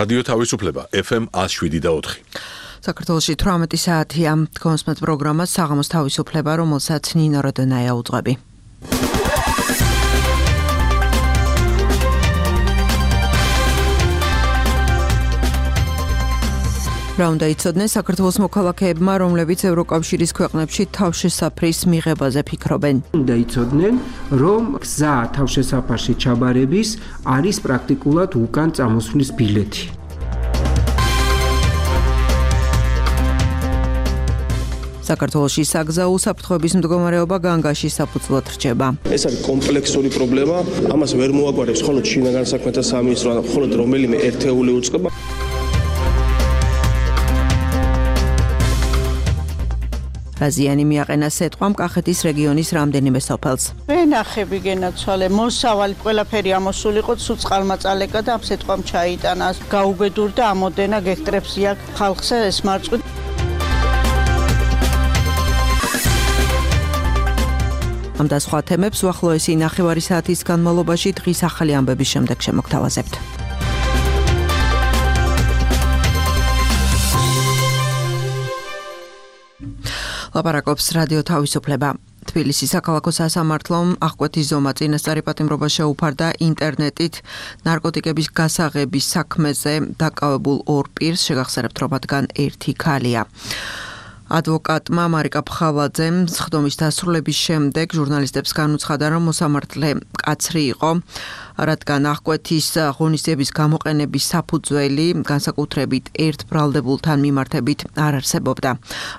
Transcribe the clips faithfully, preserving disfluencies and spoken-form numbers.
რადიო თავისუფლება ეფ ემ ათს შვიდი და ოთხი. საქართველოში თვრამეტი საათია. კონსმეთ პროგრამა საღამოს თავისუფლება, რომელსაც ნინო როდონაია უძღვები. რა უნდა იცოდნენ საქართველოს მოქალაქეებმა, რომლებიც ევროკავშირის ქვეყნებში თავშესაფრის მიღებაზე ფიქრობენ? უნდა იცოდნენ, რომ გზა თავშესაფარში ჩაბარების არის პრაქტიკულად უკან წამოსვლის ბილეთი. საქართველოში საგზაო უსაფრთხოების მდგომარეობა განგაში საფუძვლად რჩება. ეს არის კომპლექსური პრობლემა, ამას ვერ მოაგვარებს მხოლოდ შინაგან საქმეთა სამინისტრო, ან მხოლოდ რომელიმე ერთეული უწყება. რაზიანი მიაყენა სეტყვამ კახეთის რეგიონის რამდენიმე სოფელს. ვენახები გენაცვალე, მოსავალი ყველაფერი ამოსულიყო, სულ წყალმა წალეკა და ამ სეტყვამ ჩაიტანა. გაუბედურდა ამოდენა გექტრებს იაკ ხალხსა ეს მარწყვი. ამ და სხვა თემებს უახლოესი ნახევარი საათის განმავლობაში დღის ახალი ამბების შემდეგ შემოგთავაზებთ. ლაპარაკობს რადიო თავისუფლება. თბილისის საქალაქო სასამართლომ აღკვეთის ზომა წინასწარი პატიმრობა შეუფარდა ინტერნეტით ნარკოტიკების გასაღების საქმეზე დაკავებულ ორ პირს, შეგახსენებთ, რომ მათგან ერთი ქალია. ადვოკატმა მარიკა ფხავაძემ სხდომის დასრულების შემდეგ ჟურნალისტებს განუცხადა, რომ მოსამართლე მკაცრი იყო, რადგან აღკვეთის ღონისძიების გამოყენების საფუძველი განსაკუთრებით ერთ ბრალდებულთან მიმართებით არ არსებობდა.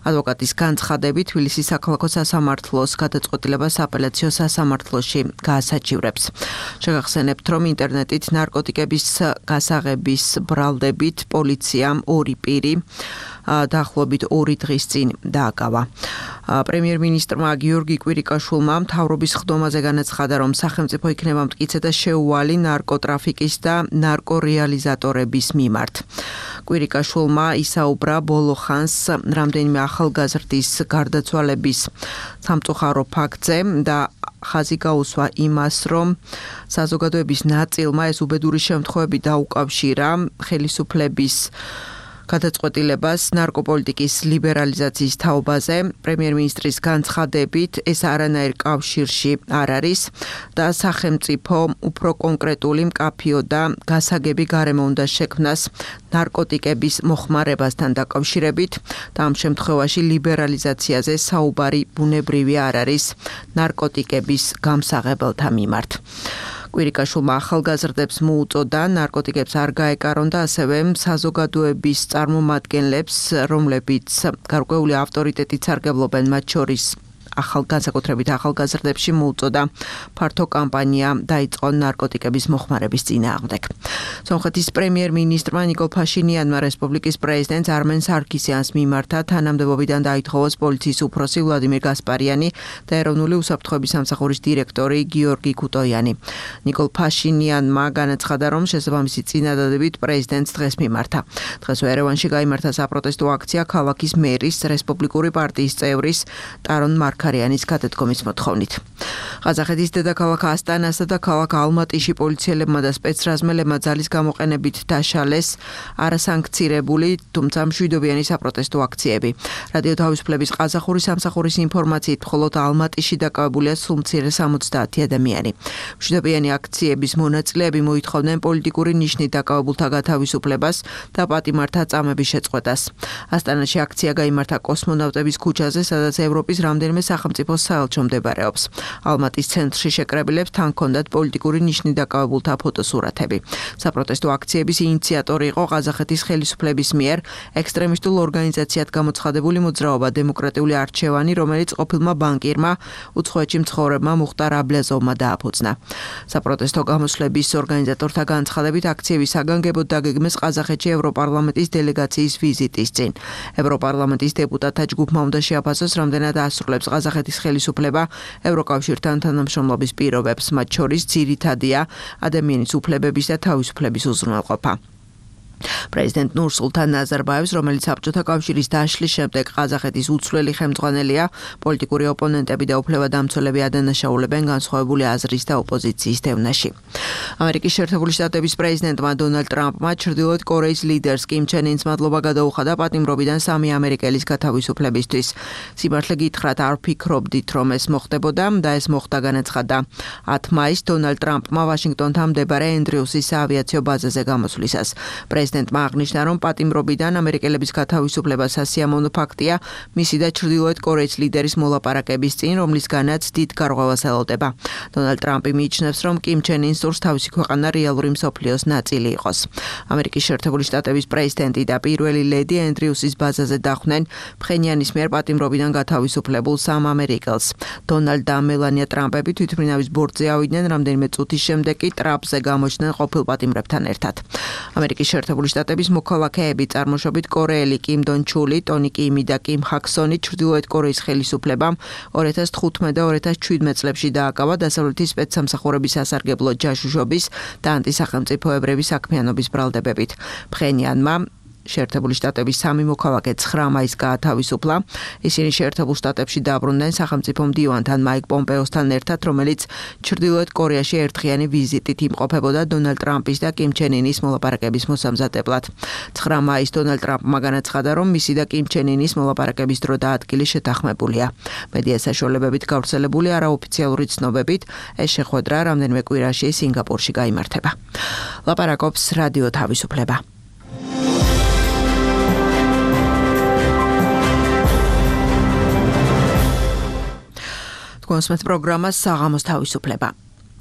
ადვოკატის განცხადებით, თბილისის საქალაქო სასამართლოს გადაწყვეტილება სააპელაციო სასამართლოში გაასაჩივრებს. შეგახსენებთ, რომ ინტერნეტით ნარკოტიკების გასაღების ბრალდებით პოლიციამ ორი პირი დაახლოებით ორი დღის წინ დააკავა. პრემიერ-მინისტრმა გიორგი კვირიკაშვილმა მთავრობის ხდომაზე განაცხადა, რომ სახელმწიფო იქნება მტკიცე და შეუვალი ნარკოტრაფიკის და ნარკორეალიზატორების მიმართ. კვირიკაშვილმა ისაუბრა ბოლო ხანს რამდენიმე ახალგაზრდის გარდაცვალების სამწუხარო ფაქტზე და ხაზი გაუსვა იმას, რომ საზოგადოების ნაწილმა ეს უბედური შემთხვევები დაუკავშირა ხელისუფლების გადაწყვეტილებას ნარკოპოლიტიკის ლიბერალიზაციის თაობაზე. პრემიერ-მინისტრის განცხადებით, ეს არანაირ კავშირში არ არის და სახელმწიფო უფრო კონკრეტული მკაფიო და გასაგები გარემო უნდა შექმნას ნარკოტიკების მოხმარებასთან დაკავშირებით და ამ შემთხვევაში ლიბერალიზაციაზე საუბარი ბუნებრივი არ არის ნარკოტიკების გამსაღებელთა მიმართ. კვირიკაშვილმა ახალგაზრდებს მოუწოდა ნარკოტიკებს არ გაეკარონ და ასევე საზოგადოების წარმომადგენლებს, რომლებიც გარკვეული ავტორიტეტით სარგებლობენ, მათ შორის განსაკუთრებით ახალგაზრდებში მოუწოდა ფართო კამპანია დაიწყონ ნარკოტიკების მოხმარების წინააღმდეგ. სომხეთის პრემიერ-მინისტრმა ნიკოლ ფაშინიანმა რესპუბლიკის პრეზიდენტს არმენ სარქისიანს მიმართა თანამდებობიდან დაითხოვოს პოლიციის უფროსი ვლადიმერ გასპარიანი და ეროვნული უსაფრთხოების სამსახურის დირექტორი გიორგი ქუტოიანი. ნიკოლ ფაშინიანმა განაცხადა, რომ შესაბამისი წინადადებით პრეზიდენტს დღეს მიმართა. დღეს ერევანში გაიმართა საპროტესტო აქცია ქალაქის მერის, რესპუბლიკური პარტიის წევრის ტარონ მარქარიანის გადადგომის მოთხოვნით. ყაზახეთის დედაქალაქ ასტანასა და ქალაქ ალმატიში პოლიციელებმა და სპეცრაზმელებმა ძალის გამოყენებით დაშალეს არასანქცირებული, თუმცა მშვიდობიანი საპროტესტო აქციები. რადიო თავისუფლების ყაზახური სამსახურის ინფორმაციით, მხოლოდ ალმატიში დაკავებულია სულ მცირე სამოცდაათი ადამიანი. მშვიდობიანი აქციების მონაწილეები მოითხოვდნენ პოლიტიკური ნიშნით დაკავებულთა გათავისუფლებას და პატიმართა წამების შეწყვეტას. ასტანაში აქცია გაიმართა კოსმონავტების ქუჩაზე, სადაც ევროპის რამდენიმე სახელმწიფოს საელჩო მდებარეობს. ალმატის ცენტრში შეკრებილებს თან ჰქონდათ პოლიტიკური ნიშნით დაკავებულთა ფოტოსურათები. საპროტესტო აქციების ინიციატორი იყო ყაზახეთის ხელისუფლების მიერ ექსტრემისტულ ორგანიზაციად გამოცხადებული მოძრაობა დემოკრატიული არჩევანი, რომელიც ყოფილმა ბანკირმა უცხოეთში მცხოვრებმა მუხტარ აბლაზოვმა დააფუძნა. საპროტესტო გამოსვლების ორგანიზატორთა განცხადებით აქციების საგანგებოდ დაგეგმეს ყაზახეთში ევროპარლამენტის დელეგაციის ვიზიტის წინ. ევროპარლამენტის დეპუტატთა ჯგუფმა უნდა შეაფასოს, რამდენად ასრულებს ყაზახეთის ხელისუფლება ევროკავშირთან თანამშრომლობის პირობებს, მათ შორის ძირითადია ადამიანის უფლებების და თავისუფლების უზრუნველყოფა. პრეზიდენტ ნურსულთან ნაზარბაევს, რომელიც საბჭოთა კავშირის დაშლის შემდეგ ყაზახეთის უცვლელი ხელმძღვანელია, პოლიტიკური ოპონენტები და უფლებადამცველები ადანაშაულებენ განსხვავებული აზრის და ოპოზიციის დევნაში. ამერიკის შეერთებული შტატების პრეზიდენტმა დონალდ ტრამპმა ჩრდილოეთ კორეის ლიდერს კიმ ჩენ ინს მადლობა გადაუხადა პატიმრობიდან სამი ამერიკელის გათავისუფლებისთვის. სიმართლე გითხრათ, არ ვფიქრობდით, რომ ეს მოხდებოდა და ეს მოხდა, განაცხადა. ათი მაისს დონალდ ტრამპმა ვაშინგტონთან მდებარე ენდრიუსის საავიაციო ბაზაზე გამოსვლისას. პრეზიდენტმა აღნიშნა, რომ პატიმრობიდან ამერიკელების გათავისუფლება სასიამოვნო ფაქტია მისი და ჩრდილოეთ კორეის ლიდერის მოლაპარაკების წინ, რომლისგანაც დიდ გარღვევას ელოდება. დონალდ ტრამპი მიიჩნევს, რომ კიმ ჩენ ინს სურს თავისი ქვეყანა რეალური მსოფლიოს ნაწილი იყოს. ამერიკის შეერთებული შტატების პრეზიდენტი და პირველი ლედი ენდრიუსის ბაზაზე დახვდნენ ფხენიანის მიერ პატიმრობიდან გათავისუფლებულ სამ ამერიკელს. დონალდ და მელანია ტრამპები თვითმფრინავის ბორტზე ავიდნენ, რამდენიმე წუთის შემდეგ კი ტრამპზე გამოჩნდნენ ყოფილ პატიმრებთან ერთად. ამერიკის შეერთებული შტატების მოქალაქეები წარმოშობით კორეელი კიმ დონ ჩული, ტონი კიმი და კიმ ჰაქსონი ჩრდილოეთ კორეის ხელისუფლებამ ორი ათას თხუთმეტ და ორი ათას შვიდმეტ წლებში დააკავა დასავლეთის სპეცსამსახურების სასარგებლო ჯაშუშობის და ანტისახელმწიფოებრივი საქმიანობის ბრალდებებით. ფხენიანმა შეერთებული შტატების სამი მოქალაქე ცხრა მაისს გაათავისუფლა. ისინი შეერთებულ შტატებში დაბრუნდნენ სახელმწიფო მდივანთან მაიკ პომპეოსთან ერთად, რომელიც ჩრდილოეთ კორეაში ერთხიანი ვიზიტით იმყოფებოდა დონალდ ტრამპის და კიმ ჩენ ინის მოლაპარაკების მოსამზადებლად. ცხრა მაისს დონალდ ტრამპმა განაცხადა, რომ მისი და კიმ ჩენ ინის მოლაპარაკების დრო და ადგილი შეთანხმებულია. მედია საშუალებებით გავრცელებული არაოფიციალური ცნობებით, ეს შეხვედრა რამდენიმე კვირაში სინგაპურში გაიმართება. ლაპარაკობს რადიო თავისუფლება. კონსმეთ პროგრამას საღამოს თავისუფლება.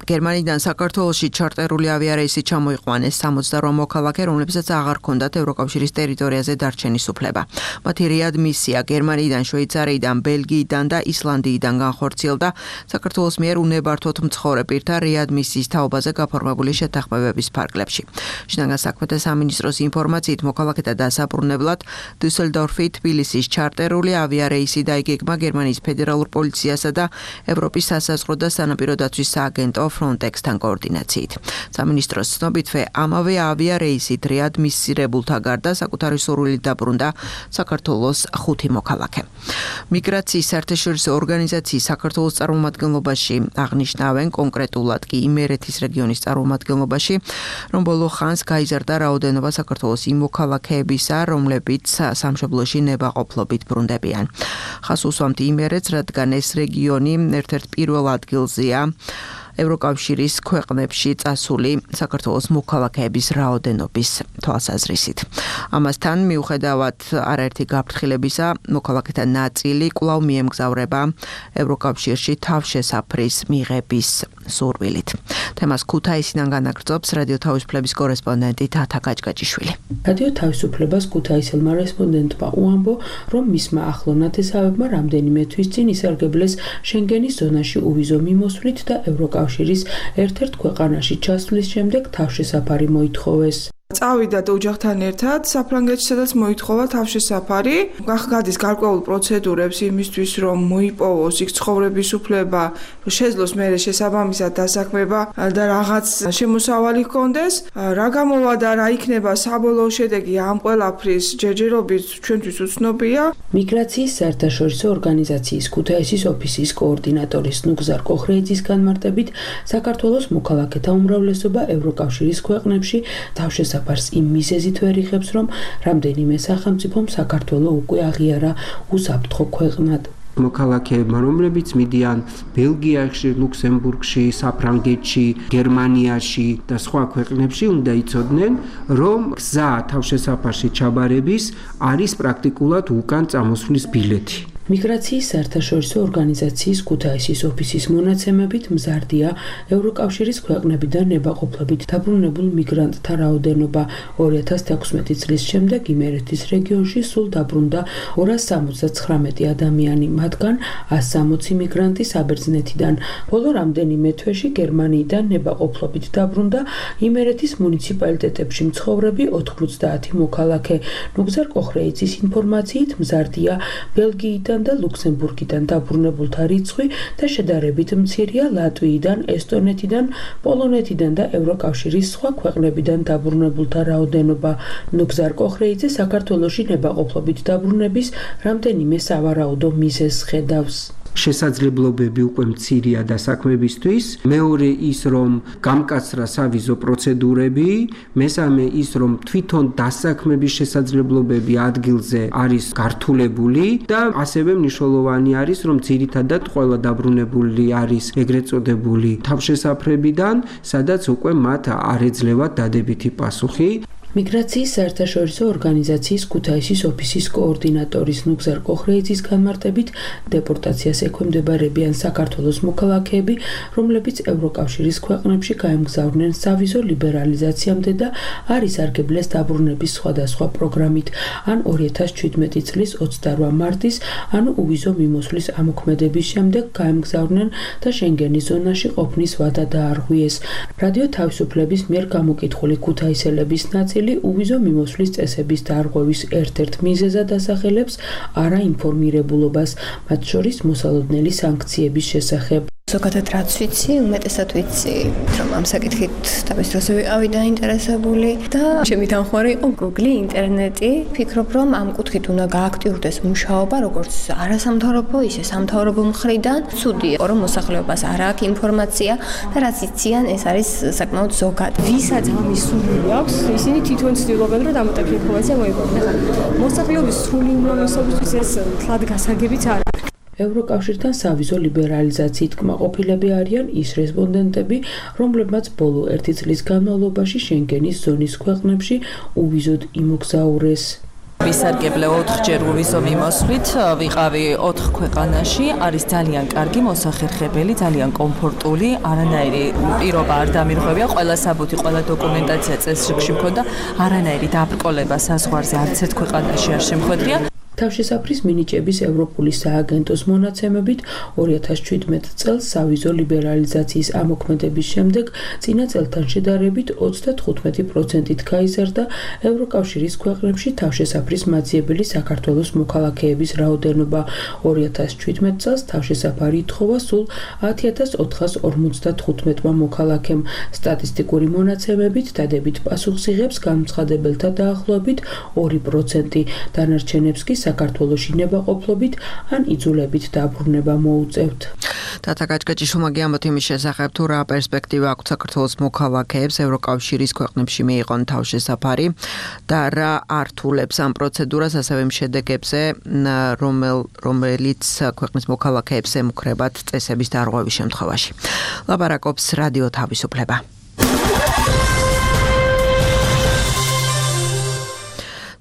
გერმანიდან საქართველოში ჩარტერული ავიარეისი ჩამოიყვანეს სამოცდაორი მოქალაქე, რომლებსაც აღარ ჰქონდათ ევროკავშირის ტერიტორიაზე დარჩენის უფლება. მათი რეადმისია გერმანიიდან, შვეიცარიიდან, ბელგიიდან და ისლანდიიდან განხორციელდა საქართველოს მიერ უნებართვოდ მცხოვრე პირთა რეადმისიის თაობაზე გაფორმებული შეთანხმებების ფარგლებში. შინაგან საქმეთა სამინისტროს ინფორმაციით მოქალაქეთა დასაბრუნებლად დუსელდორფი, თბილისის ჩარტერული ავიარეისი დაიგეგმა გერმანიის ფედერალურ პოლიციასა და ევროპის სასაზღვრო და სანაპირო დაცვის სააგენტო Frontex-თან კოორდინაციით. სამინისტროს ცნობითვე ამავე ავიარეისით რეადმისირებულთა გარდა საკუთარი სურვილით დაბრუნდა საქართველოს ხუთი მოქალაქე. მიგრაციის საერთაშორისო ორგანიზაციის საქართველოს წარმომადგენლობაში აღნიშნავენ, კონკრეტულად კი იმერეთის რეგიონის წარმომადგენლობაში, რომ ბოლო ხანს გაიზარდა რაოდენობა საქართველოს იმ მოქალაქეებისა, რომლებიც სამშობლოში ნებაყოფლობით ბრუნდებიან. ხას უსვამთ იმერეთს, რადგან ეს რეგიონი ერთ-ერთ პირველ ადგილზეა ევროკავშირის ქვეყნებში წასული საქართველოს მოქალაქეების რაოდენობის თვალსაზრისით. ამასთან მიუხედავად არაერთი გაფრთხილებისა, მოქალაქეთა ნაწილი კვლავ მიემგზავრება ევროკავშირში თავშესაფრის მიღების სურვილით. თემას ქუთაისიდან განაგრძობს რადიო თავისუფლების კორესპონდენტი თათა გაჭგაჭიშვილი. რადიო თავისუფლებას ქუთაისელმა რესპონდენტმა უამბო, რომ მისმა ახლო ნათესავებმა რამდენიმე თვის წინ ისარგებლეს შენგენის ზონაში უვიზო მიმოსვლით და ევროკავშირის ერთ-ერთ ქვეყანაში ჩასვლის შემდეგ თავშესაფარი მოითხოვეს. წავიდა ოჯახთან ერთად საფრანგეთში, სადაც მოითხოვა თავშესაფარი. გადის გარკვეულ პროცედურებს იმისთვის, რომ მოიპოვოს იქ ცხოვრების უფლება, შეძლოს მერე შესაბამისად დასაქმება და რაღაც შემოსავალი ჰქონდეს. რა გამოვა და რა იქნება საბოლოო შედეგი ამ ყველაფრის ჯერჯერობით ჩვენთვის უცნობია. მიგრაციის საერთაშორისო ორგანიზაციის ქუთაისის ოფისის კოორდინატორის ნუგზარ კოხრეიძის განმარტებით, საქართველოს მოქალაქეთა უმრავლესობა ევროკავშირის ქვეყნებში თავშესაფარს საფარს იმ მიზეზით ვერ იხებს, რომ რამდენიმე სახელმწიფომ საქართველო უკვე აღიარა უსაფრთხო ქვეყნად. მოქალაქეებმა, რომლებიც მიდიან ბელგიაში, ლუქსემბურგში, საფრანგეთში, გერმანიაში და სხვა ქვეყნებში, უნდა იცოდნენ, რომ გზა თავშესაფარში ჩაბარების არის პრაქტიკულად უკან წამოსვლის ბილეთი. მიგრაციის საერთაშორისო ორგანიზაციის ქუთაისის ოფისის მონაცემებით მზარდია ევროკავშირის ქვეყნებიდან ნებაყოფლობით დაბრუნებულ მიგრანტთა რაოდენობა. ორი ათას თექვსმეტი წლის შემდეგ იმერეთის რეგიონში სულ დაბრუნდა ორას სამოცდაცხრამეტი ადამიანი, მათგან ას სამოცი მიგრანტი საბერძნეთიდან. ბოლო რამდენიმე თვეში გერმანიიდან ნებაყოფლობით დაბრუნდა იმერეთის მუნიციპალიტეტებში მცხოვრები ოთხმოცდაათი მოქალაქე. ნუგზარ კოხრეიძის ინფორმაციით მზარდია ბელგიიდან ჩეხეთიდან და ლუქსემბურგიდან დაბრუნებულთა რიცხვი და შედარებით მცირეა ლატვიიდან, ესტონეთიდან, პოლონეთიდან და ევროკავშირის სხვა ქვეყნებიდან დაბრუნებულთა რაოდენობა. ნუგზარ კოხრეიძე საქართველოში ნებაყოფლობით დაბრუნების რამდენიმე სავარაუდო მიზეზს ხედავს. შესაძლებლობები უკვე მცირეა დასაქმებისთვის, მეორე ის რომ გამკაცრა სავიზო პროცედურები, მესამე ის რომ თვითონ დასაქმების შესაძლებლობები ადგილზე არის გართულებული და ასევე მნიშვნელოვანი არის რომ ძირითადად ყველა დაბრუნებული არის ეგრეთ წოდებული თავშესაფრებიდან, სადაც უკვე მათ არ ეძლევათ დადებითი პასუხი. მიგრაციის საერთაშორისო ორგანიზაციის ქუთაისის ოფისის კოორდინატორის ნუგზარ კოხრეიძის განმარტებით დეპორტაციას ექვემდებარებიან საქართველოს მოქალაქეები, რომლებიც ევროკავშირის ქვეყნებში გაემგზავრნენ სავიზო ლიბერალიზაციამდე და არ ისარგებლეს დაბრუნების სხვადასხვა პროგრამით, ან ორი ათას ჩვიდმეტი წლის ოცდარვა მარტის, ანუ უვიზო მიმოსვლის ამოქმედების შემდეგ გაემგზავრნენ და შენგენის ზონაში ყოფნის ვადა დაარღვიეს. რადიო თავისუფლების მიერ გამოკითხული ქუთაისელების ნაწილი უვიზო მიმოსვლის წესების დარღვევის ერთ-ერთ მიზეზად ასახელებს არაინფორმირებულობას, მათ შორის მოსალოდნელი სანქციების შესახებ. ზოგადად რაც ვიცი, უმეტესად ვიცი, რომ ამ საკითხით თავის დროზე ვიყავი დაინტერესებული და ჩემი თანხმარი იყო Google, ინტერნეტი. ფიქრობ, რომ ამ კუთხით უნდა გააქტიურდეს მუშაობა, როგორც არასამთავრობო, ისე სამთავრობო მხრიდან. ცუდია, რომ მოსახლეობას არ აქვს ინფორმაცია და რაც იციან, ეს არის საკმაოდ ზოგად. ვისაც ამის სული აქვს, ისინი თვითონ ცდილობენ, რომ დამატებითი ინფორმაცია მოიპოვონ. მოსახლეობის სრული უმრავლესობისთვის ეს თლად გასაგებიც არ არის. ევროკავშირთან სავიზო ლიბერალიზაციით კმაყოფილები არიან ის რესპონდენტები, რომლებმაც ბოლო ერთი წლის განმავლობაში შენგენის ზონის ქვეყნებში უვიზოდ იმოგზაურეს. ვისარგებლე ოთხჯერ უვიზო მიმოსვლით, ვიყავი ოთხ ქვეყანაში, არის ძალიან კარგი, მოსახერხებელი, ძალიან კომფორტული, არანაირი პირობა არ დამირღვევია, ყველა საბუთი, ყველა დოკუმენტაცია წესრიგში მქონდა, არანაირი დაბრკოლება საზღვარზე არც ერთ ქვეყანაში არ შემხვედრია. თავშესაფრის მინიჭების ევროპული სააგენტოს მონაცემებით ორი ათას ჩვიდმეტ წელს სავიზო ლიბერალიზაციის ამოქმედების შემდეგ წინა წელთან შედარებით ოცდათხუთმეტი პროცენტით გაიზარდა ევროკავშირის ქვეყნებში თავშესაფრის მაძიებელი საქართველოს მოქალაქეების რაოდენობა. ორი ათას ჩვიდმეტ წელს თავშესაფარი ითხოვა სულ ათი ათას ოთხას ორმოცდათხუთმეტმა მოქალაქემ. სტატისტიკური მონაცემებით დადებით პასუხს იღებს განცხადებელთა დაახლოებით ორი პროცენტი, დანარჩენებს კი საქართველოში ნებაყოფლობით ან იძულებით დაბრუნება მოუწევთ. თათა გაჭკეჭიშვილმა გიამბოთ იმის შესახებ, თუ რა პერსპექტივა აქვს საქართველოს მოქალაქეებს ევროკავშირის ქვეყნებში მიიღონ თავშესაფარი და რა ართულებს ამ პროცედურას, ასევე იმ შედეგებზე, რომელ რომელიც ქვეყნის მოქალაქეებს ემუქრებათ წესების დარღვევის შემთხვევაში. ლაპარაკობს რადიო თავისუფლება.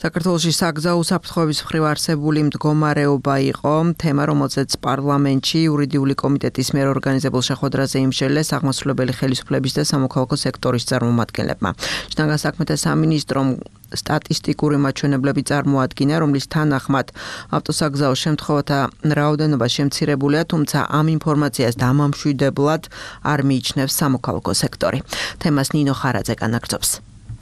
საქართველოში საგზაო უსაფრთხოების მხრივ არსებული მდგომარეობა იყო თემა, რომელზეც პარლამენტში იურიდიული კომიტეტის მიერ ორგანიზებულ შეხვედრაზე იმსჯელეს აღმასრულებელი ხელისუფლების და სამოქალაქო სექტორის წარმომადგენლებმა. შინაგან საქმეთა სამინისტრომ სტატისტიკური მაჩვენებლები წარმოადგინა, რომლის თანახმად ავტოსაგზაო შემთხვევათა რაოდენობა შემცირებულია, თუმცა ამ ინფორმაციას დამამშვიდებლად არ მიიჩნევს სამოქალაქო სექტორი. თემას ნინო ხარაძე განაგრძობს.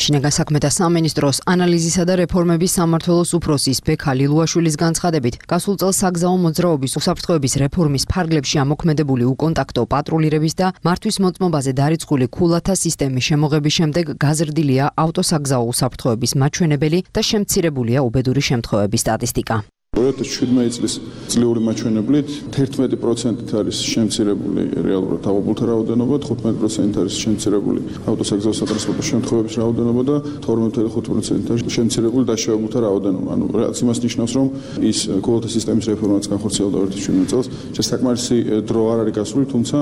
შინაგან საქმეთა სამინისტროს ანალიზისა და რეფორმების სამმართველოს უფროსის ბექა ლილუაშვილის განცხადებით, გასულ წელს საგზაო მოძრაობის უსაფრთხოების რეფორმის ფარგლებში ამოქმედებული უკონტაქტო პატრულირების და მართვის მოწმობაზე დარიცხული ქულათა სისტემის შემოღების შემდეგ გაზრდილია ავტოსაგზაო უსაფრთხოების მაჩვენებელი და შემცირებულია უბედური შემთხვევების სტატისტიკა. ორი ათას ჩვიდმეტი წლის წლიური მაჩვენებლით თერთმეტი პროცენტით არის შემცირებული რეალურად აღებულთა რაოდენობა, თხუთმეტი პროცენტით არის შემცირებული ავტოსაგზაო სატრანსპორტო შემთხვევების რაოდენობა და თორმეტი ფاصლე ხუთი პროცენტით არის შემცირებული დაშავებულთა რაოდენობა. ანუ რაც იმას ნიშნავს, რომ ის ქულათა სისტემის რეფორმაც განხორციელდა ორი ათას ჩვიდმეტი წელს. შესაკმარისი დრო არ არის გასული, თუმცა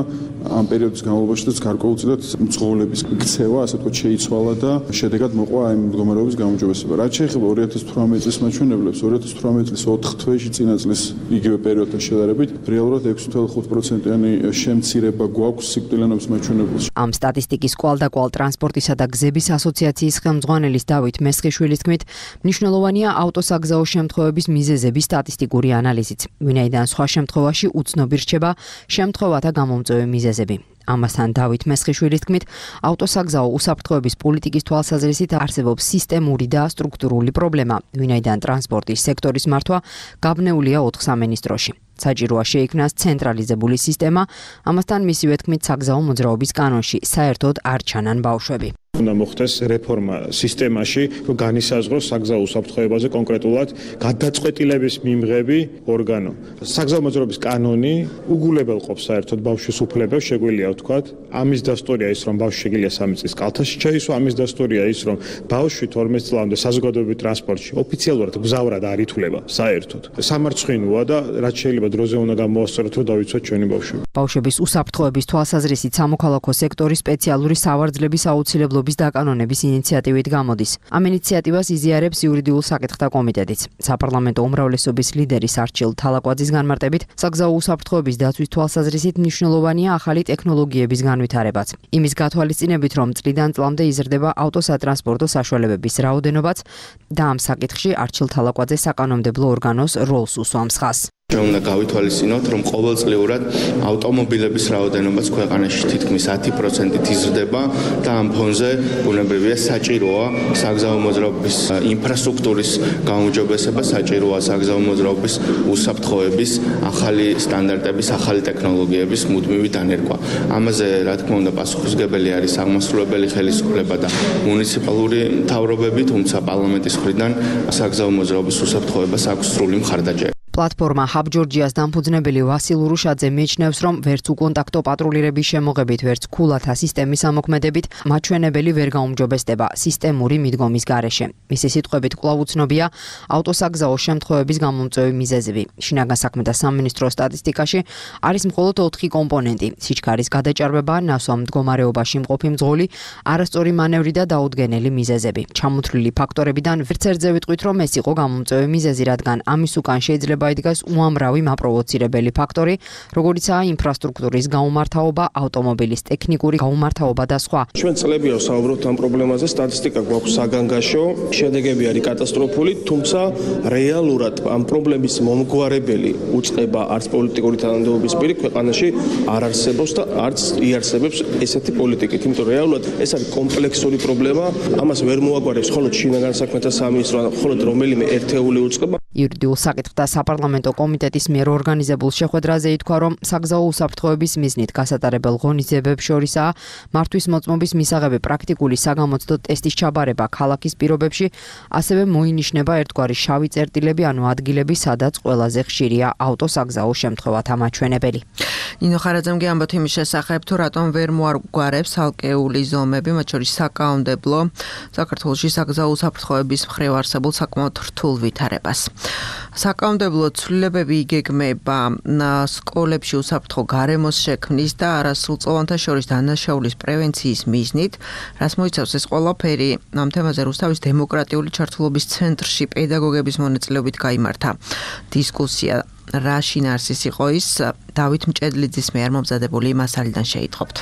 ამ პერიოდის განმავლობაში გარკვეულწილად მძღოლების ქცევა, ასე ვთქვათ, შეიცვალა და შედეგად მოყვა ამ მდგომარეობის გაუმჯობესება. რაც შეეხება ორი ათას თვრამეტი წლის მაჩვენებლებს, ორი ათას თვრამეტი წლის ოთხ თვეში წინა წლის იგივე პერიოდთან შედარებით, რეალურად ექვსი ფاصლე ხუთი პროცენტიანი შემცირება გვაქვს სიკვდილიანობის მაჩვენებელში. ამ სტატისტიკის კვალდაკვალ ტრანსპორტისა და გზების ასოციაციის ხელმძღვანელის დავით მესხიშვილის თქმით, მნიშვნელოვანია ავტოსაგზაო შემთხვევების მიზეზების სტატისტიკური ანალიზიც. ვინაიდან სხვა შემთხვევაში უცნობი რჩება შემთხვევათა გამომწვევი მიზეზები. ამასთან დავით მესხიშვილის თქმით, ავტოსაგზაო უსაფრთხოების პოლიტიკის თვალსაზრისით არსებობს სისტემური და სტრუქტურული პრობლემა, ვინაიდან ტრანსპორტის სექტორის მართვა გაბნეულია ოთხ სამინისტროში. საჭიროა შეიქმნას ცენტრალიზებული სისტემა, ამასთან მისივე თქმით საგზაო მოძრაობის კანონში საერთოდ არ ჩანან ბავშვები. უნდა მოხდეს რეფორმა სისტემაში, რომ განისაზღვროს საგზაო უსაფრთხოებაზე კონკრეტულად გადაწყვეტილების მიმღები ორგანო. საგზაო მოძრაობის კანონი უგულებელყოფს საერთოდ ბავშვის უფლებებს, შეგვიძლია ვთქვათ. ამის დასტურია ის, რომ ბავშვი შეგიძლია სამი წლის კალთაში ჩაისვა, ამის დასტურია ის, რომ ბავშვი თორმეტ წლამდე საზოგადოებრივ ტრანსპორტში ოფიციალურად გზავრად არ ითვლება საერთოდ. სამარცხვინოა და რაც შეიძლება დროზე უნდა გამოასწოროთ, რომ დავიცვათ ჩვენი ბავშვები. ბავშვების უსაფრთხოების თვალსაზრისით სამოქალაქო სექტორის სპეციალური სავარძლების აუცილებლობის დაკანონების ინიციატივით გამოდის. ამ ინიციატივას იზიარებს იურიდიულ საკითხთა კომიტეტიც. საპარლამენტო უმრავლესობის ლიდერის არჩილ თალაკვაძის განმარტებით, საგზაო უსაფრთხოების დაცვის თვალსაზრისით მნიშვნელოვანია ახალი ტექნოლოგიების განვითარებაც. იმის გათვალისწინებით, რომ წლიდან წლამდე იზრდება ავტოსატრანსპორტო საშუალებების რაოდენობაც და ამ საკითხში არჩილ თალაკვაძე საკანონმდებლო ორგანოს როლს უსვამს ხაზს. უნდა გავითვალისწინოთ, რომ ყოველწლიურად ავტომობილების რაოდენობაც ქვეყანაში თითქმის ათი პროცენტით იზრდება და ამ ფონზე ბუნებრივია საჭიროა საგზაო მოძრაობის ინფრასტრუქტურის გაუმჯობესება, საჭიროა საგზაო მოძრაობის უსაფრთხოების ახალი სტანდარტების, ახალი ტექნოლოგიების მუდმივი დანერგვა. ამაზე, რა თქმა უნდა, პასუხისმგებელი არის აღმასრულებელი ხელისუფლება და მუნიციპალური მთავრობები, თუმცა პარლამენტის მხრიდან საგზაო მოძრაობის უსაფრთხოებას აქვს სრული მხარდაჭერა. პლატფორმა Hub Georgias დამფუძნებელი ვასილ ურუშაძე მიიჩნევს, რომ ვერც უკონტაქტო პატრულირების შემოღებით, ვერც ქულათა სისტემის ამოქმედებით მაჩვენებელი ვერ გაუმჯობესდება სისტემური მიდგომის გარეშე. მისი სიტყვებით კვლავ უცნობია ავტოსაგზაო შემთხვევების გამომწვევი მიზეზები. შინაგან საქმეთა სამინისტროს სტატისტიკაში არის მხოლოდ ოთხი კომპონენტი: სიჩქარის გადაჭარბება, ნასვამ მდგომარეობაში მყოფი მძღოლი, არასწორი მანევრი და დაუდგენელი მიზეზები. ჩამოთვლილი ფაქტორებიდან ვერც ერთზე ვიტყვით, რომ ეს იყო გამომწვევი მიზეზი, რადგან ამის უკან შეიძლება იდგას უამრავი მაპროვოცირებელი ფაქტორი, როგორიცაა ინფრასტრუქტურის გაუმართავობა, ავტომობილის ტექნიკური გაუმართავობა და სხვა. ჩვენ წლებია ვსაუბრობთ ამ პრობლემაზე, სტატისტიკა გვაქვს საგანგაშო, შედეგები არის კატასტროფული, თუმცა რეალურად ამ პრობლემის მომგვარებელი უწყება არც პოლიტიკური თანამდებობის პირი ქვეყანაში არ არსებობს და არც იარსებებს ესეთი პოლიტიკით, იმიტომ რომ რეალურად ეს არის კომპლექსური პრობლემა, ამას ვერ მოაგვარებს მხოლოდ შინაგან საქმეთა სამინისტრო, მხოლოდ რომელიმე ერთეული უწყება. იურიდიულ საკითხთა საპარლამენტო კომიტეტის მიერ ორგანიზებულ შეხვედრაზე ითქვა, რომ საგზაო უსაფრთხოების მიზნით გასატარებელ ღონისძიებებს შორისაა მართვის მოწმობის მისაღები პრაქტიკული საგამოცდო ტესტის ჩაბარება ქალაქის პირობებში, ასევე მოინიშნება ერთგვარი შავი წერტილები, ანუ ადგილები, სადაც ყველაზე ხშირია ავტოსაგზაო შემთხვევათა მაჩვენებელი. ნინო ხარაძემ ამბობთ იმის შესახებ, თუ რატომ ვერ მოაგვარებს ალკეული ზომები, მათ შორის საკანონმდებლო საქართველოში საგზაო უსაფრთხოების მხრივ არსებულ საკმაოდ რთულ ვითარებას. საკანონმდებლო ცვლილებები იგეგმება სკოლებში უსაფრთხო გარემოს შექმნის და არასრულწლოვანთა შორის დანაშაულის პრევენციის მიზნით, რაც მოიცავს ეს ყველაფერი. ამ თემაზე რუსთავის დემოკრატიული ჩართულობის ცენტრში პედაგოგების მონაწილეობით გაიმართა დისკუსია. რა შინაარსის იყო ის, დავით მჭედლიძის მიერ მომზადებული მასალიდან შეიტყობთ.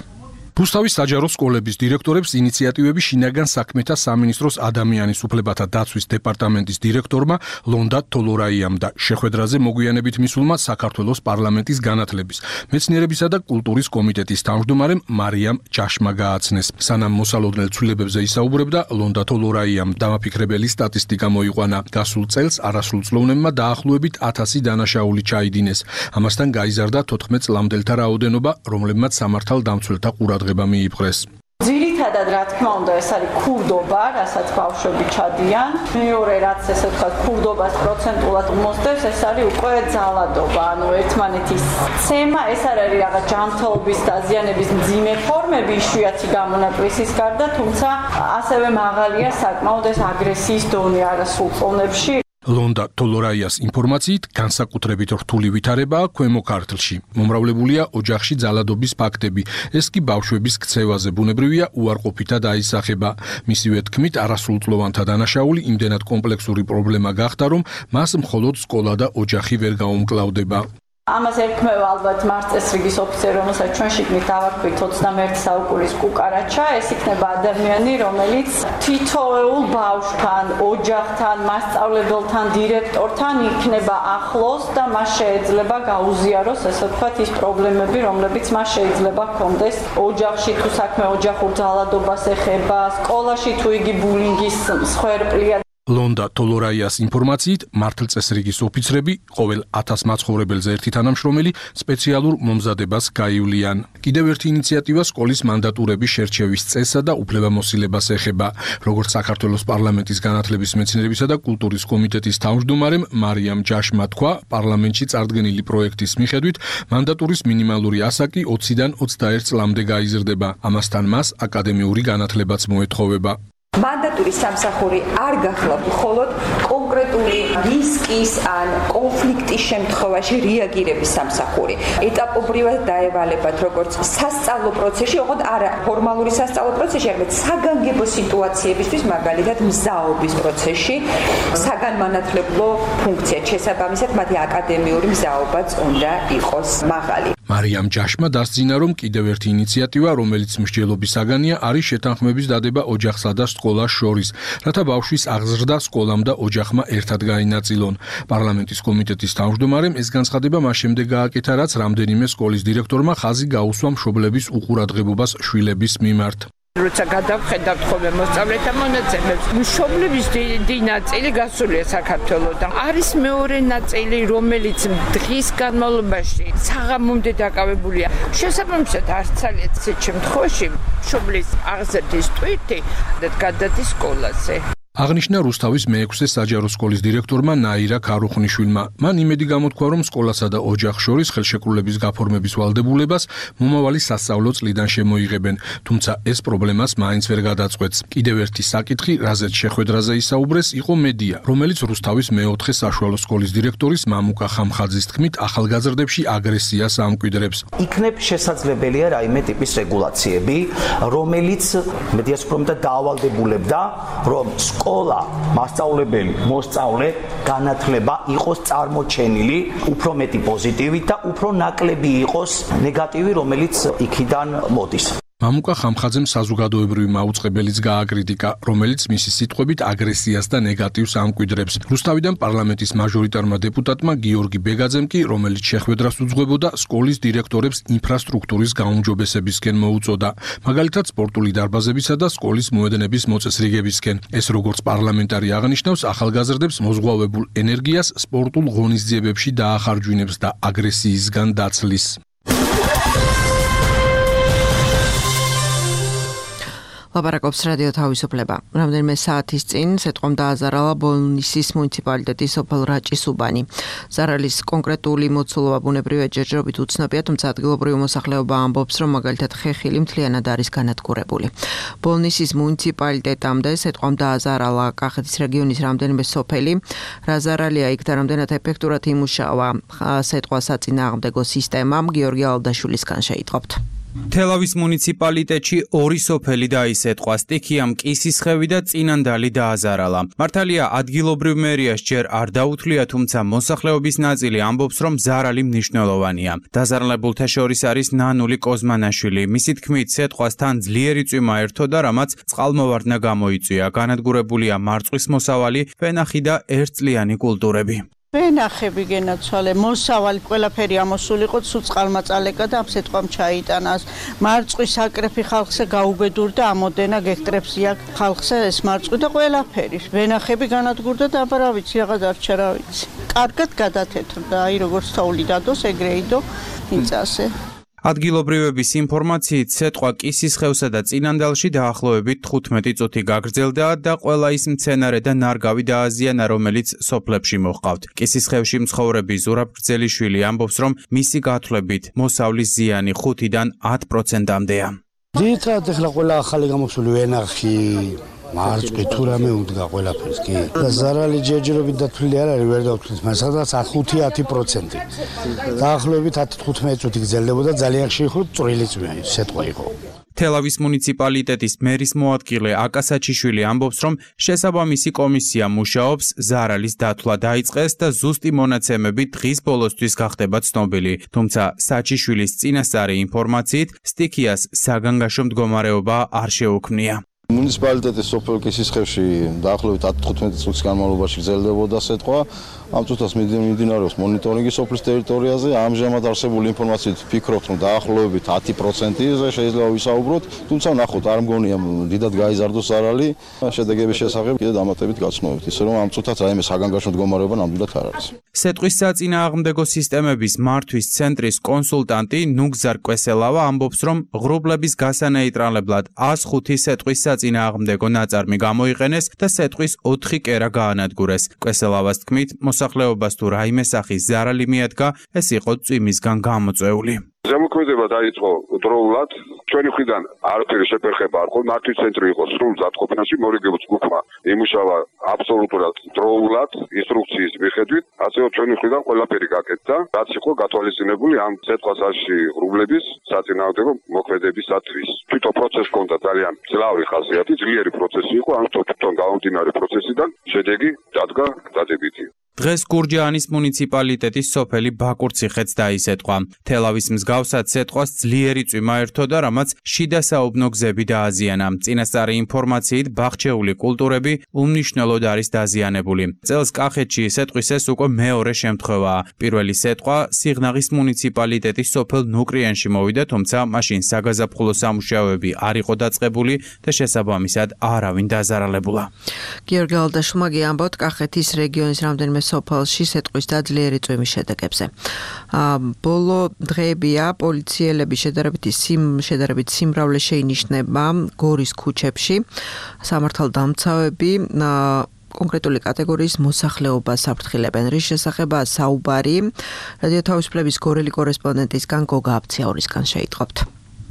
რუსთავის საჯარო სკოლების დირექტორებს ინიციატივები შინაგან საქმეთა სამინისტროს ადამიანის უფლებათა დაცვის დეპარტამენტის დირექტორმა ლონდა თოლორაიამ და შეხვედრაზე მოგვიანებით მისულმა საქართველოს პარლამენტის განათლების, მეცნიერებისა და კულტურის კომიტეტის თავმჯდომარემ მარიამ ჯაშმა გააცნეს. სანამ მოსალოდნელ ცვლილებებზე ისაუბრებდა, ლონდა თოლორაიამ დამაფიქრებელი სტატისტიკა მოიყვანა. გასულ წელს არასრულწლოვნებმა დაახლოებით ათასი დანაშაული ჩაიდინეს. ამასთან გაიზარდა თოთხმეტ წლამდელთა რაოდენობა, რომლებმაც სამართალდამცველთა ყურადღება მიიპყრეს. ძირითადად რა თქმა უნდა ეს არის ქურდობა, რასაც ბავშვები ჩადიან. მეორე რაც ესე ვთქვათ ქურდობას პროცენტულად მოსდევს, ეს არის უკვე ძალადობა, ანუ ერთმანეთის ცემა, ეს არ არის რაღაც ჯანმრთელობის დაზიანების მძიმე ფორმები იშვიათი გამონაკლისის გარდა, თუმცა ასევე მაღალია საკმაოდ ეს აგრესიის დონე არასრულწლოვნებში. ლონდა თოლორაიას ინფორმაციით განსაკუთრებით რთული ვითარებაა ქვემო ქართლში. მომრავლებულია ოჯახში ძალადობის ფაქტები. ეს კი ბავშვების ქცევაზე ბუნებრივია უარყოფითად აისახება. მისივე თქმით, არასრულწლოვანთა დანაშაული იმდენად კომპლექსური პრობლემა გახდა, რომ მას მხოლოდ სკოლა და ოჯახი ვერ გაუმკლავდება. ამას ერქმევა ალბათ მარწესრიგის ოფიცერი, რომელსაც ჩვენ შიგნით დავარქვით ოცდამეერთე საუკუნის კუკარაჩა, ეს იქნება ადამიანი, რომელიც თითოეულ ბავშვთან, ოჯახთან, მასწავლებელთან, დირექტორთან იქნება ახლოს და მას შეეძლება გაუზიაროს, ესე ვთქვათ, ის პრობლემები, რომლებიც მას შეიძლება ჰქონდეს ოჯახში, თუ საქმე ოჯახურ ძალადობას ეხება, სკოლაში თუ იგი ბულინგის მსხვერპლია. ლონდა თოლორაიას ინფორმაციით, მართლწესრიგის ოფიცრები ყოველ ათას მაცხოვრებელზე ერთი თანამშრომელი სპეციალურ მომზადებას გაივლიან. კიდევ ერთი ინიციატივა სკოლის მანდატურების შერჩევის წესსა და უფლებამოსილებას ეხება. როგორც საქართველოს პარლამენტის განათლების, მეცნიერებისა და კულტურის კომიტეტის თავმჯდომარემ მარიამ ჯაშმა თქვა, პარლამენტში წარდგენილი პროექტის მიხედვით მანდატურის მინიმალური ასაკი ოციდან ოცდაერთ წლამდე გაიზრდება. ამასთან მას აკადემიური განათლებაც მოეთხოვება. მანდატურის სამსახური არ გახლავთ მხოლოდ კონკრეტული რისკის ან კონფლიქტის შემთხვევაში რეაგირების სამსახური. ეტაპობრივად დაევალებათ როგორც სასწავლო პროცესში, ოღონდ არა ფორმალური სასწავლო პროცესში, არამედ საგანგებო სიტუაციებისთვის, მაგალითად მზაობის პროცესში, საგანმანათლებლო ფუნქცია შესაბამისად მათი აკადემიური მზაობაც უნდა იყოს მაღალი. მარიამ ჯაშმა დასძინა, რომ კიდევ ერთი ინიციატივა, რომელიც მსჯელობის საგანია, არის შეთანხმების დადება ოჯახსა და სკოლას შორის, რათა ბავშვის აღზრდა სკოლამ და ოჯახმა ერთად გაინაწილონ. პარლამენტის კომიტეტის თავმჯდომარემ ეს განცხადება მას შემდეგ გააკეთა, რაც რამდენიმე სკოლის დირექტორმა ხაზი გაუსვა მშობლების უყურადღებობას შვილების მიმართ. როცა გადავხედავთ ხოლმე მოსწავლეთა მონაცემებს, მშობლების დიდი ნაწილი გასულია საქართველოდან. არის მეორე ნაწილი, რომელიც დღის განმავლობაში საღამომდე დაკავებულია. შესაბამისად, არც ძალიან ცეთ შემთხვევაში მშობლის აღზრდის ტვირთი გადადის სკოლაზე. აღნიშნა რუსთავის მეექვსე საჯარო სკოლის დირექტორმა ნაირა ქარუხნიშვილმა. მან იმედი გამოთქვა, რომ სკოლასა და ოჯახს შორის ხელშეკრულების გაფორმების ვალდებულებას მომავალი სასწავლო წლიდან შემოიღებენ, თუმცა ეს პრობლემას მაინც ვერ გადაწყვეტს. კიდევ ერთი საკითხი, რაზეც შეხვედრაზე ისაუბრეს, იყო მედია, რომელიც რუსთავის მეოთხე საშუალო სკოლის დირექტორის მამუკა ხამხაძის თქმით, ახალგაზრდებში აგრესიას ამკვიდრებს. იქნებ შესაძლებელია რაიმე ტიპის რეგულაციები, რომელიც მედიას უფრო მეტად დაავალდებულებდა, რომ სკოლა, მასწავლებელი, მოსწავლე, განათლება იყოს წარმოჩენილი უფრო მეტი პოზიტივით და უფრო ნაკლები იყოს ნეგატივი, რომელიც იქიდან მოდის. მამუკა ხამხაძემ საზოგადოებრივი მაუწყებელიც გააკრიტიკა, რომელიც მისი სიტყვებით აგრესიას და ნეგატივს ამკვიდრებს. რუსთავიდან პარლამენტის მაჟორიტარმა დეპუტატმა გიორგი ბეგაძემ კი, რომელიც შეხვედრას უძღვებოდა, სკოლის დირექტორებს ინფრასტრუქტურის გაუმჯობესებისკენ მოუწოდა, მაგალითად სპორტული დარბაზებისა და სკოლის მოედნების მოწესრიგებისკენ. ეს როგორც პარლამენტარი აღნიშნავს, ახალგაზრდებს მოზღვავებულ ენერგიას სპორტულ ღონისძიებებში დაახარჯვინებს და აგრესიისგან დაცლის. ლაპარაკობს რადიო თავისუფლება. რამდენიმე საათის წინ სიტყვამ დააზარალა ბოლნისის მუნიციპალიტეტის სოფელ რაჭის-უბანი. ზარალის კონკრეტული მოცულობა ბუნებრივი ჯერჯერობით უცნობია, თუმცა ადგილობრივი მოსახლეობა ამბობს, რომ მაგალითად ხეხილი მთლიანად არის განადგურებული. ბოლნისის მუნიციპალიტეტამდე სიტყვამ დააზარალა კახეთის რეგიონის რამდენიმე სოფელი. რა ზარალია იქ და რამდენად ეფექტურად იმუშავა სიტყვა საწინააღმდეგო სისტემამ, გიორგი ალდაშვილისგან შეიტყობთ. თელავის მუნიციპალიტეტში ორი სოფელი დაისეტყვა, სტიქიამ კისისხევი და წინანდალი დააზარალა. მართალია ადგილობრივ მერიას ჯერ არ დაუთვლია, თუმცა მოსახლეობის ნაწილი ამბობს, რომ ზარალი მნიშვნელოვანია. დაზარალებულთა შორის არის ნანული კოზმანაშვილი. მისი თქმით, სეტყვასთან ძლიერი წვიმა ერთო და რამაც წყალმოვარდნა გამოიწვია. განადგურებულია მარწყვის მოსავალი, ვენახი და ერთწლიანი კულტურები. ვენახები გენაცვალე, მოსავალი ყველაფერი ამოსულიყო, სულ წყალმაწალეკა და ამ სიტყვამ ჩაიტანას. მარწყვის აკრეფი ხალხზე გაუბედურდა, ამოდენა გექტრებს იქ ხალხზე ეს მარწყვი და ყველაფერი. ვენახები განადგურდა და აბა რა ვიცი, აღარ დარჩა რა ვიცი. კარგად გადათეთრდა, აი როგორც თოვლი დადოს, ეგრე იდო მიწაზე. ადგილობრივების ინფორმაციით, სეტყვა კისისხევსა და წინანდალში დაახლოებით თხუთმეტი წუთი გაგრძელდა და ყველა ის მცენარე და ნარგავი დააზიანა, რომელიც სოფლებში მოჰყავთ. კისისხევში მცხოვრები ზურაბ გრძელიშვილი ამბობს, რომ მისი გათვლებით მოსავლის ზიანი ხუთიდან ათ პროცენტამდეა. ძირითადად ახლა ყველა ახალი გამოსული ვენახი მარწყი თუ რამე უდგა ყველაფერს კი და ზარალი ჯერჯერობით დათვლილი არ არის, ვერ დავთვლის, მაგრამ სადღაც ხუთი ათი პროცენტი. დაახლოებით ათი თხუთმეტი წუთი გრძელდებოდა, ძალიან ხშირი წვრილი წვიმა სეტყვა იყო. თელავის მუნიციპალიტეტის მერის მოადგილე აკა საჩიშვილი ამბობს, რომ შესაბამისი კომისია მუშაობს, ზარალის დათვლა დაიწყეს და ზუსტი მონაცემები დღის ბოლოსთვის გახდება ცნობილი. თუმცა საჩიშვილის წინასწარი ინფორმაციით სტიქიას საგანგაშო მდგომარეობა არ შეუქმნია. მუნიციპალიტეტის სოფელ კისისხევში დაახლოებით ათი-თხუთმეტი წლის განმავლობაში გრძელდებოდა სიტყვა. ამ წუთას მიმდინარეობს მონიტორინგი სოფლის ტერიტორიაზე. ამჟამად არსებული ინფორმაციით ვფიქრობთ, რომ დაახლოებით ათი პროცენტიზე შეიძლება ვისაუბროთ, თუმცა ნახოთ, არ მგონია დიდად გაიზარდოს ზარალი. შედეგების შესახებ კიდე დამატებით გაცნობთ, ისე რომ ამ წუთას რაიმე საგანგაშო მდგომარეობა ნამდვილად არ არის. სეტყვის საწინააღმდეგო სისტემების მართვის ცენტრის კონსულტანტი ნუგზარ კვესელავა ამბობს, რომ ღრუბლების გასანეიტრალებლად ას ხუთი სეტყვის საწინააღმდეგო ნაწარმი გამოიყენეს და სეტყვის ოთხი კერა გაანადგურეს. კვესელავას თქმით, მოსახლეობას თუ რაიმე სახის ზარალი მიადგა, ეს იყო წვიმისგან გამოწვეული. ზემოქმედება დაიწყო დროულად, ჩვენი მხრიდან არაფერი შეფერხება არ ყო, მართვის ცენტრი იყო სრულ ზადყოფნაში, მორიგებულ ჯგუფმა იმუშავა აბსოლუტურად დროულად, ინსტრუქციის მიხედვით, ასევე ჩვენი მხრიდან ყველაფერი გაკეთდა, რაც იყო გათვალისწინებული ამ სეტყვასაში ღრუბლების საწინააღმდეგო მოქმედებისათვის. თვითონ პროცესი ჰქონდა ძალიან ძლავრი ხასიათი, ძლიერი პროცესი იყო, ამიტომ თვითონ გამომდინარე პროცესიდან შედეგი დადგა დადებითი. დღეს გურჯაანის მუნიციპალიტეტის სოფელი ბაკურციხეც დაისეტყვა. თელავის მსგავსად სეტყვას ძლიერი წვიმა ერთოდა, რამაც შიდა საუბნო გზები დააზიანა. წინასწარი ინფორმაციით ბაღჩეული კულტურები უმნიშვნელოდ არის დაზიანებული. წელს კახეთში სეტყვის ეს უკვე მეორე შემთხვევაა. პირველი სეტყვა სიღნაღის მუნიციპალიტეტის სოფელ ნუკრიანში მოვიდა, თუმცა მაშინ საგაზაფხულო სამუშაოები არ იყო დაწყებული და შესაბამისად არავინ დაზარალებულა. გიორგი ალდაშვილმა ამბობთ კახეთის რეგიონის რამდენიმე სოფელში სეტყვის და ძლიერი წვიმის შედეგებზე. ბოლო დღეებია პოლიციელების შედარებითი სიმ შედარებით სიმრავლე შეინიშნება გორის ქუჩებში. სამართალდამცავები კონკრეტული კატეგორიის მოსახლეობას საფრთხილებენ. რის შესახებაა საუბარი? რადიო თავისუფლების გორელი კორესპონდენტისგან გოგა აფციაურისგან შეიტყობთ.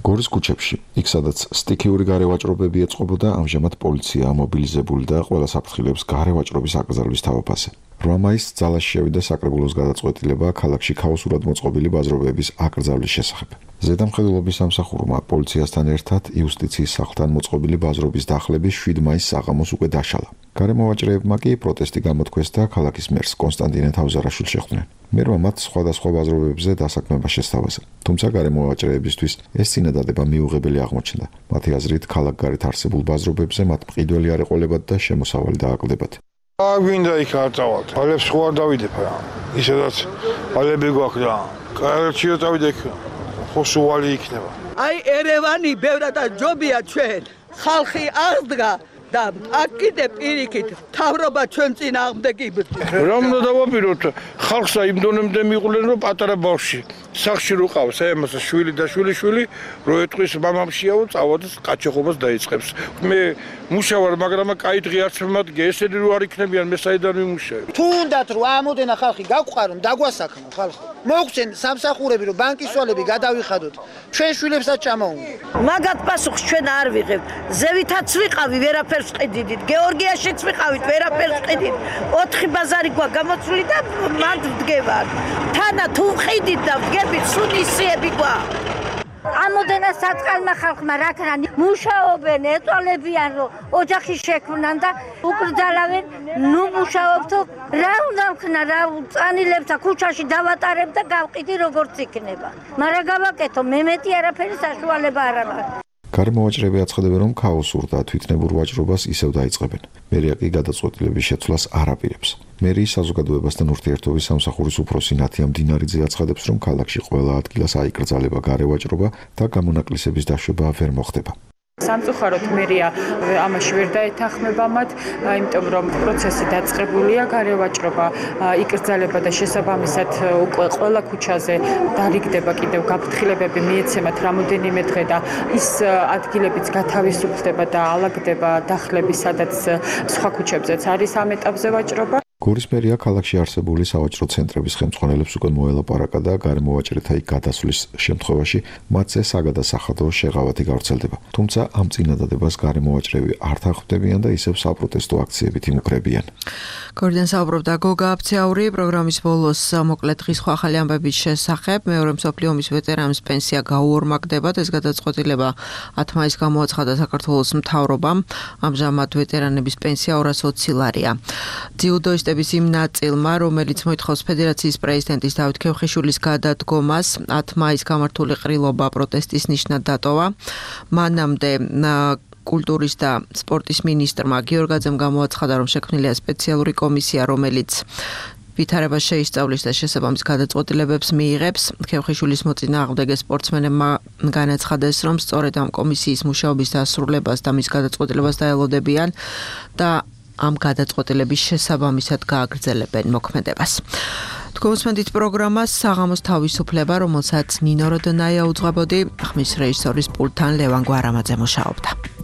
გორის ქუჩებში, იქ სადაც სტიქიური გარევაჭრობები ეწყობოდა, ამჟამად პოლიცია მობილიზებული და ყველა საფრთხილებს გარევაჭრობის აკრძალვის თავაფასე. რვა მაისს ძალაში შევიდა საკრებულოს გადაწყვეტილება ქალაქში ქაოსურად მოწყობილი ბაზრობების აკრძალვის შესახებ. ზედამხედველობის სამსახურმა პოლიციასთან ერთად იუსტიციის სახლთან მოწყობილი ბაზრობის დახლების შვიდ მაისს საღამოს უკვე დაშალა. გარემოვაჭრეებმა კი პროტესტი გამოთქვეს და ქალაქის მერს კონსტანტინე თავზარაშვილს შეხვდნენ. მერმა მათ სხვადასხვა ბაზრობებზე დასაქმება შესთავაზა. თუმცა გარემოვაჭრეებისთვის ეს წინადადება მიუღებელი აღმოჩნდა. მათი აზრით, ქალაქგარეთ არსებულ ბაზრობებზე მათ მყიდველი არ ეყოლებათ და შემოსავალი დააკლებათ. გვინდა იქ არ წავალთ. ალებს ხო არ დავიდებ რა. ისედაც ალები გვაქვს რა. კარჩიო წავიდე იქ. ხო სუვალი იქნება. აი ერევანი ბევრად ჯობია ჩვენ. ხალხი აღდგა და აქ კიდე პირიქით თავრობა ჩვენ წინააღმდეგ იბრძვის. რა უნდა დავაპიროთ? ხალხსა იმ დონემდე მიყვლენ რომ პატარა ბავშვი სახში რო ყავს, აი ამას შვილი და შვილი შვილი რო ეტყვის მამამშიაო წავოდეს კაჩოხობას დაიწყებს. მე მუშავარ, მაგრამ კაი დღე არც მომადგე, ესენი რო არ იქნებიან მე საიდან ვიმუშავე. თუნდაც რო ამოდენა ხალხი გაგვყარონ, დაგვასაქმო ხალხი. მოგცენ სამსახურები რომ ბანკის სვალები გადავიხადოთ. ჩვენ შვილებსაც ჩამოუნდა. მაგათ პასუხს ჩვენ არ ვიღებთ. ზევითაც ვიყავი, ვერაფერს ყიდით. გეორგიაშიც ვიყავით, ვერაფერს ყიდით. ოთხი ბაზარი გვა გამოცვლი და მანდ ვდგევარ. თანა თუ ვყიდით და ვდგებით, სუნისიები გვა. ამოდენა საწყალმა ხალხმა რაკრან მუშაობენ, ეტოლებიან რომ ოჯახი შექმნან და უკრძალავენ, ნუ მუშაობთო, რა უნდა ვქნა, რა წანილებს და ქუჩაში დავატარებ და გავყიდი როგორც იქნება. მაგრამ გავაკეთო, მე მეტი არაფერი საშუალება არ აქვს. გარემოვაჭრეები აცხადებენ, რომ ქაოსურ და თვითნებურ ვაჭრობას ისევ დაიწყებენ. მერია კი გადაწყვეტილების შეცვლას არ აპირებს. მერიის საზოგადოებასთან ურთიერთობის სამსახურის უფროსი ნათია მდინარიძე აცხადებს, რომ ქალაქში ყველა ადგილას აიკრძალება გარევაჭრობა და გამონაკლისების დაშვება ვერ მოხდება. სამწუხაროდ მერია ამაში ვერ დაეთანხმება მათ, იმიტომ რომ პროცესი დაწყებულია, გარევაჭრობა იკრძალება და შესაბამისად უკვე ყველა ქუჩაზე დარიგდება კიდევ გაფრთხილებები მიეცემათ რამოდენიმე დღე და ის ადგილებიც გათავისუფლდება და ალაგდება დახლები, სადაც სხვა ქუჩებზეც არის ამ ეტაპზე ვაჭრობა. გორის მერია ქალაქში არსებული სავაჭრო ცენტრების ხელმძღვანელებს უკვე მოელაპარაკა და გარემოვაჭრეთა იქ გადასვლის შემთხვევაში მათზე საგადასახადო შეღავათი გავრცელდება. თუმცა ამ წინადადებას გარემოვაჭრები არ თანხმდებიან და ისევ საპროტესტო აქციებით იმუქრებიან. გორიდან საუბრობდა გოგა აფციაური პროგრამის ბოლოს მოკლედ დღის სხვა ახალი ამბების შესახებ. მეორე მსოფლიო ომის ვეტერანის პენსია გაუორმაგდებათ. ეს გადაწყვეტილება ათ მაისს გამოაცხადა საქართველოს მთავრობამ. ამჟამად ვეტერანების პენსია ორას ოცი ლარია. ძიუდოისტების იმ ნაწილმა, რომელიც მოითხოვს ფედერაციის პრეზიდენტის დავით ქევხიშვილის გადადგომას, ათ მაისს გამართული ყრილობა პროტესტის ნიშნად დატოვა. მანამდე კულტურის და სპორტის მინისტრმა გიორგაძემ გამოაცხადა, რომ შექმნილია სპეციალური კომისია, რომელიც ვითარებას შეისწავლის და შესაბამის გადაწყვეტილებებს მიიღებს. ქევხიშვილის მოწინააღმდეგე სპორტსმენებმა განაცხადეს, რომ სწორედ ამ კომისიის მუშაობის დასრულებას და მის გადაწყვეტილებას დაელოდებიან და ამ გადაწყვეტილების შესაბამისად გააგრძელებენ მოქმედებას. თქვენსმენდით პროგრამას საღამოს თავისუფლება, რომელსაც ნინო როდონაია უძღვებოდი, ხმის რეჟისორის პულტთან ლევან გვარამაძე მუშაობდა.